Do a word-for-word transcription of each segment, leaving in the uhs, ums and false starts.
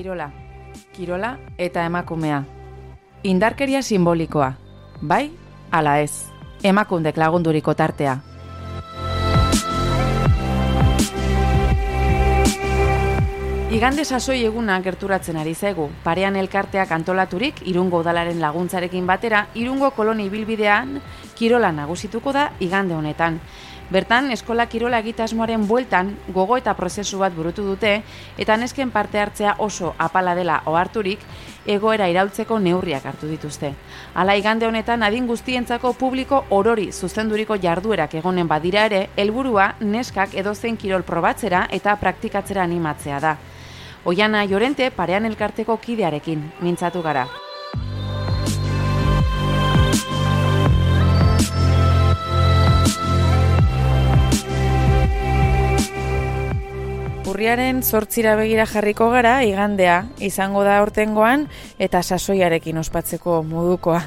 kirola. Kirola eta emakumea. Indarkeria simbolikoa. Bai, ala ez. Emakundek lagunduriko tartea. Igande sasoi eguna gerturatzen ari zaigu. Parean elkarteak antolaturik Irungo udalaren laguntzarekin batera, Irungo koloni ibilbidean kirola nagusituko da igande honetan. Bertan, eskola kirola egitasmoaren bueltan gogo eta prozesu bat burutu dute eta nesken parte hartzea oso apala dela oharturik egoera iraultzeko neurriak hartu dituzte. Hala igande honetan adin guztientzako publiko orori zuzenduriko jarduerak egonen badira ere, helburua neskak edozein kirol probatzera eta praktikatzera animatzea da. Oiana Llorente parean elkarteko kidearekin mintzatu gara. Urriaren zortzira begira jarriko gara, igandea izango da aurtengoan eta sasoiarekin ospatzeko modukoa.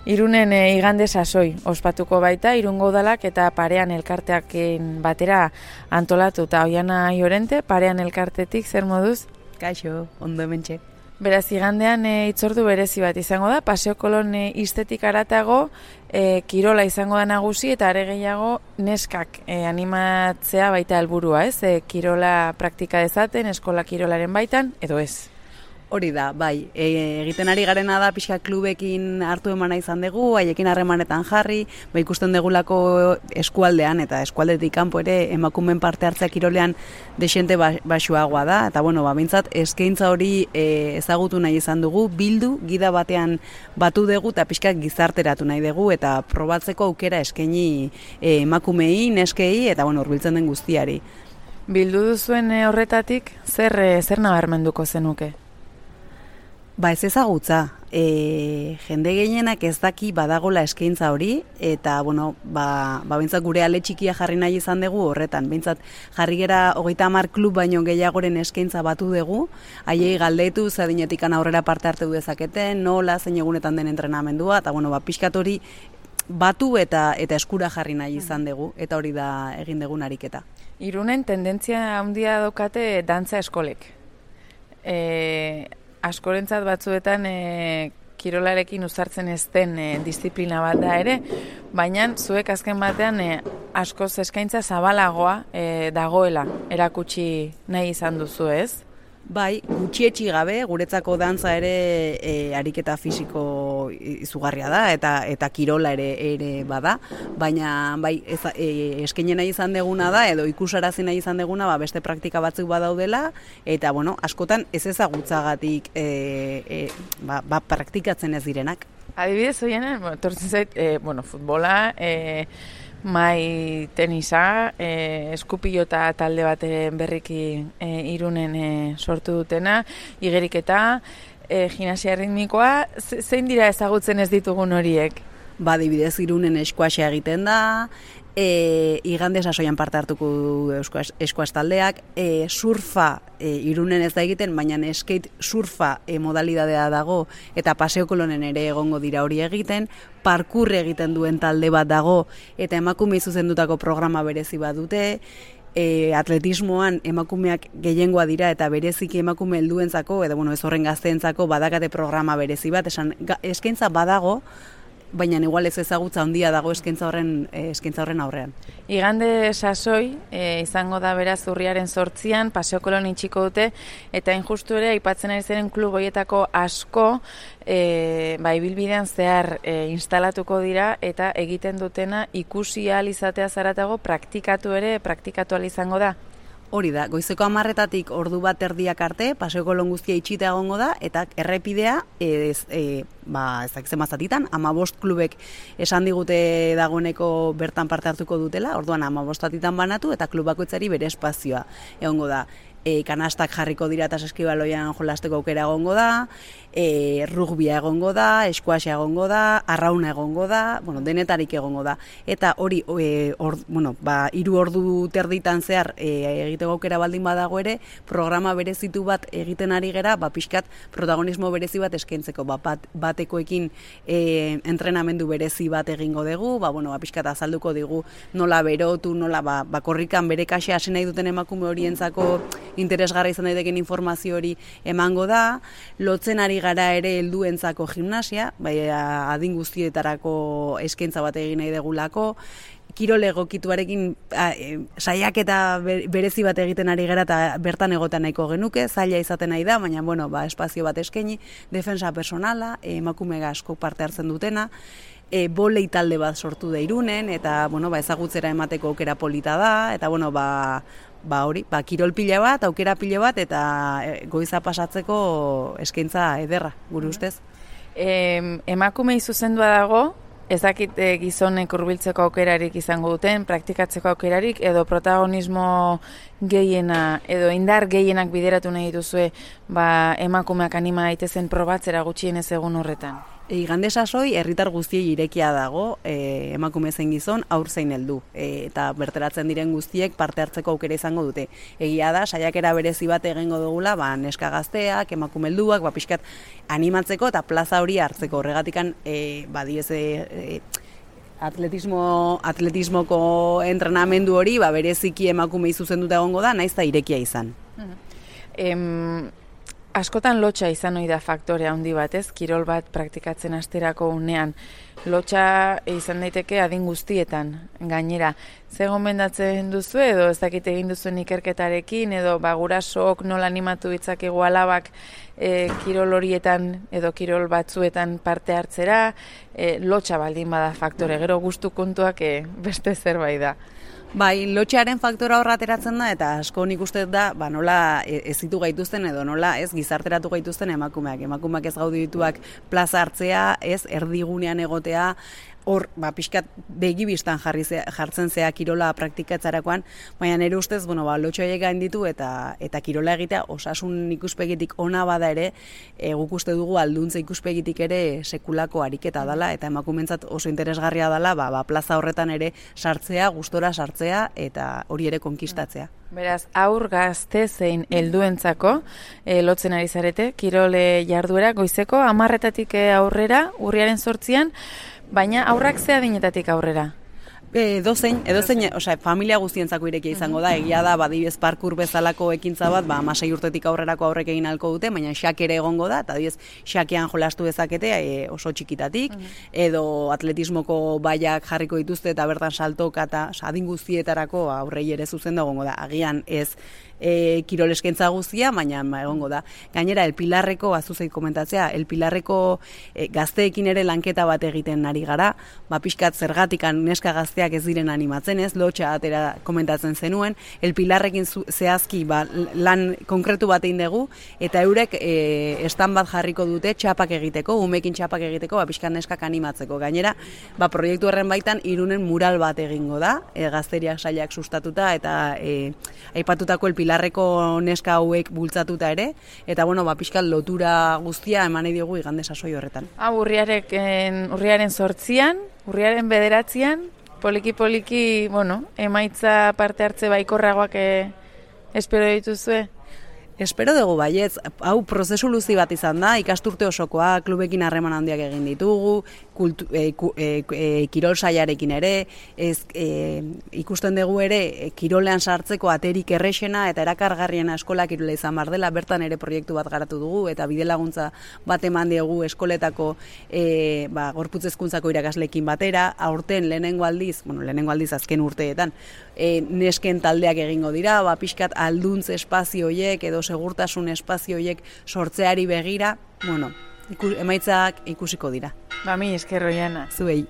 Irunen e, igande sasoi ospatuko baita, Irungo udalak eta parean elkarteakin batera antolatuta. Oiana Llorente, parean elkartetik, zer moduz? Kaixo, ondo hementxe. Beraz, igandean e, itzordu berezi bat izango da, Paseo Kolon e, estetik aratago, e, kirola izango da nagusi eta are gehiago neskak e, animatzea baita helburua, ez? E, kirola praktika dezaten, eskola kirolaren baitan, edo ez? Hori da, bai, e, egiten ari garena da pixka klubekin hartu emana izan dugu, haiekin harremanetan jarri, ba ikusten degulako eskualdean eta eskualdetik kanpo ere emakumeen parte hartzea kirolean desente baxuagoa da, eta bueno, ba, bintzat eskaintza hori e, ezagutu nahi izan dugu, bildu, gida batean batu dugu eta pixka gizarteratu nahi dugu eta probatzeko aukera eskaini e, emakumei, neskei eta bueno, hurbiltzen den guztiari. Bildu duzuen e, horretatik, zer, e, zer nabarmenduko zenuke? Ba ez ezagutza, e, jende gehienak ez daki badagola eskaintza hori, eta bueno, ba, ba bintzat gure ale txikia jarri nahi izan dugu horretan. Bintzat jarri gera hogeita hamar klub baino gehiagoren eskaintza batu dugu, haiei galdetu, zadinetik aurrera parte hartu dezaketen, nola, zein egunetan den entrenamendua, eta bueno, ba pixkat hori batu eta eta eskura jarri nahi izan dugu, eta hori da egin dugun ariketa. Irunen tendentzia handia daukate dantza eskolek. E... Askorentzat batzuetan e, kirolarekin uzartzen ez den e, disiplina bat da ere, baina zuek azken batean e, askoz eskaintza zabalagoa e, dagoela erakutsi nahi izan duzu, ez? Bai, gutxietxi gabe, guretzako dantza ere e, ariketa fisiko izugarria da eta eta kirola ere ere bada, baina bai ez, e, eskaini nahi izan deguna da edo ikusarazi nahi izan deguna ba, beste praktika batzuk badaudela eta bueno, askotan ez ezagutzagatik e, e, ba, ba, praktikatzen ez direnak. Adibidez, oiena, bueno, tortzen zait, e, bueno, futbola, e, mai tenisa, e, eskupilota talde baten berriki e, Irunen e, sortu dutena, igeriketa, e, gimnasia ritmikoa, zein dira ezagutzen ez ditugun horiek? Ba, adibidez Irunen eskuaxea egiten da, e, igande sasoian parte hartuko du eskuas taldeak, e, surfa e, Irunen ez da egiten, baina skate surfa e, modalidadea dago eta Paseo Kolonen ere egongo dira hori egiten, parkur egiten duen talde bat dago eta emakume zuzendutako programa berezi bat dute, e, atletismoan emakumeak gehiengoa dira eta bereziki emakume helduentzako edo bueno, ez horren gazteentzako badakate programa berezi bat, esan eskaintza badago, baina igual ez ezagutza handia dago eskaintza horren eskaintza horren aurrean. Igande sasoi e, izango da beraz urriaren zortzian, Paseo Kolon itxiko dute, eta injustu ere aipatzen ari ziren klub horietako asko e, ba, ibilbidean zehar e, instalatuko dira eta egiten dutena ikusi ahal izatea zaratago praktikatu ere, praktikatu ahal izango da. Hori da, goizeko hamarretatik ordu bat erdiak arte, Paseo Kolon guztia itxita egongo da, eta errepidea, ez, e, ba, ez dakitzen mazatitan, hamabost klubek esan digute dagoeneko bertan parte hartuko dutela, orduan hamabostatitan banatu, eta klub bakoitzari bere espazioa egongo da. E, kanastak jarriko dira eta saskibaloian jolasteko aukera egongo da, e, rugbia egongo da, eskuaxea egongo da, arrauna egongo da, bueno, denetarik egongo da. Eta hori, e, or, bueno, ba, hiru ordu terditan zehar e, egiteko aukera baldin badago ere, programa berezitu bat egiten ari gera, ba, pixkat protagonismo berezi bat eskaintzeko, ba, bat, batekoekin e, entrenamendu berezi bat egingo dugu, ba, bueno, ba, pixkat azalduko digu nola berotu, nola ba, ba, korrikan bere kaxe hasi nahi duten emakume horientzako interesgarra izan daiteken informazio hori emango da, lotzen ari gara ere helduentzako gimnasia, bai, adin guztietarako eskaintza bat egin nahi degulako, kirol egokituarekin e, saiaketa berezi bat egiten ari gara eta bertan egotan nahiko genuke, zaila izaten nahi da, baina bueno, ba, espazio bat eskaini, defensa personala, emakume asko parte hartzen dutena, e, bolei talde bat sortu da Irunen, eta bueno, ba, ezagutzera emateko aukera polita da, eta bueno, ba, ba hori, ba, kirol pila bat, aukera pila bat, eta e, goiza pasatzeko eskaintza ederra, gure ustez. E, emakumei zuzendua dago, ezakit e, gizonek hurbiltzeko aukerarik izango duten, praktikatzeko aukerarik, edo protagonismo gehiena, edo indar gehienak bideratu nahi dituzue, ba, emakumeak anima daitezen probatzera gutxienez egun horretan. Igande sasoi herritar guztiei irekia dago, e, emakume zein gizon, haur zein heldu, e, eta berteratzen diren guztiek parte hartzeko aukera izango dute. Egia da, saiakera berezi bat egingo dugula, ba, neska gazteak, emakume helduak, ba, pixkat animatzeko eta plaza hori hartzeko. Horregatikan, e, ba, diez, e, atletismo, atletismoko entrenamendu hori, ba, bereziki emakumei zuzenduta egongo da, naiz da irekia izan. Em... Askotan lotxa izan ohi da faktore handi bat, ez? Kirol bat praktikatzen hasterako unean. Lotxa izan daiteke adin guztietan, gainera. Ze gomendatzen duzu edo ez dakit egin duzuen ikerketarekin edo ba, gurasook nola animatu ditzakegu alabak e, kirol horietan edo kirol batzuetan parte hartzera, e, lotxa baldin bada faktore, gero gustu kontuak e, beste zerbait da. Bai, lotxearen faktora horra ateratzen da, eta asko nik uste da, ba, nola ez ditu gaituzten edo nola ez gizarteratu gaituzten emakumeak. Emakumeak ez gaude dituak plaza hartzea, ez erdigunean egotea, hor, ba, pixkat begibistan jarri zea, jartzen zea kirola praktikatzarakoan, baina nire ustez, bueno, ba, lotxoiek gain ditu eta eta kirola egitea osasun ikuspegitik ona bada ere, e, guk uste dugu alduntza ikuspegitik ere sekulako ariketa dela, eta emakumentzat oso interesgarria dela, ba, ba, plaza horretan ere sartzea, gustora sartzea, eta hori ere konkistatzea. Beraz, aur gazte zein helduentzako e, lotzen ari zarete, kirole jarduera goizeko, hamarretatik aurrera, urriaren sortzian, baina aurrak ze adinetatik aurrera? E, dozein, edozein, osea, familia guztientzako irekia izango da, egia da, badibez parkur bezalako ekintza bat, ba, amasei urtetik aurrerako aurrek egin halko dute, baina xak ere egongo da, eta adibez, xakean jolastu dezakete e, oso txikitatik, edo atletismoko baiak jarriko dituzte eta bertan saltoka eta adin guztietarako aurrei ere zuzen da egongo da, agian ez e, kirol eskaintza guztia, baina egongo da. Gainera, El Pilarreko, azuzeit komentatzea, El Pilarreko e, gazteekin ere lanketa bat egiten ari gara, ba, pixkat zergatikan neska gazteak ez diren animatzen ez, lotxa atera komentatzen zenuen, El Pilarrekin zehazki ba, lan konkretu bat egin dugu, eta eurek e, estan bat jarriko dute txapak egiteko, umekin txapak egiteko, ba, pixkat neskak animatzeko. Gainera, ba, proiektu horren baitan Irunen mural bat egingo da, e, gazteriak sailak sustatuta, eta e, aipatutako El Pilarreko neska hauek bultzatuta ere, eta bueno, ba, pixkat lotura guztia eman nahi diogu igande sasoi horretan. Ah, urriaren, urriaren sortzian, urriaren bederatzian, poliki-poliki, bueno, emaitza parte hartze baikorragoak eh, espero dituzue? Espero dugu baietz, hau prozesu luzi bat izan da, ikasturte osokoa, klubekin harreman handiak egin ditugu, kultu, e, e, e, kirol saiarekin ere, ez, e, ikusten dugu ere, e, kirolean sartzeko aterik errexena eta erakargarriena eskola kirola izan bar dela, bertan ere proiektu bat garatu dugu, eta bide laguntza bat eman dugu eskoletako e, ba, gorputz hezkuntzako irakasleekin batera, aurten lehenengo aldiz, bueno, lehenengo aldiz azken urteetan, e, nesken taldeak egingo dira, ba, pixkat alduntz espazio horiek edo segurtasun espazio horiek sortzeari begira, bueno, iku, emaitzak ikusiko dira. Ba, mi esker Oiana. Zuei.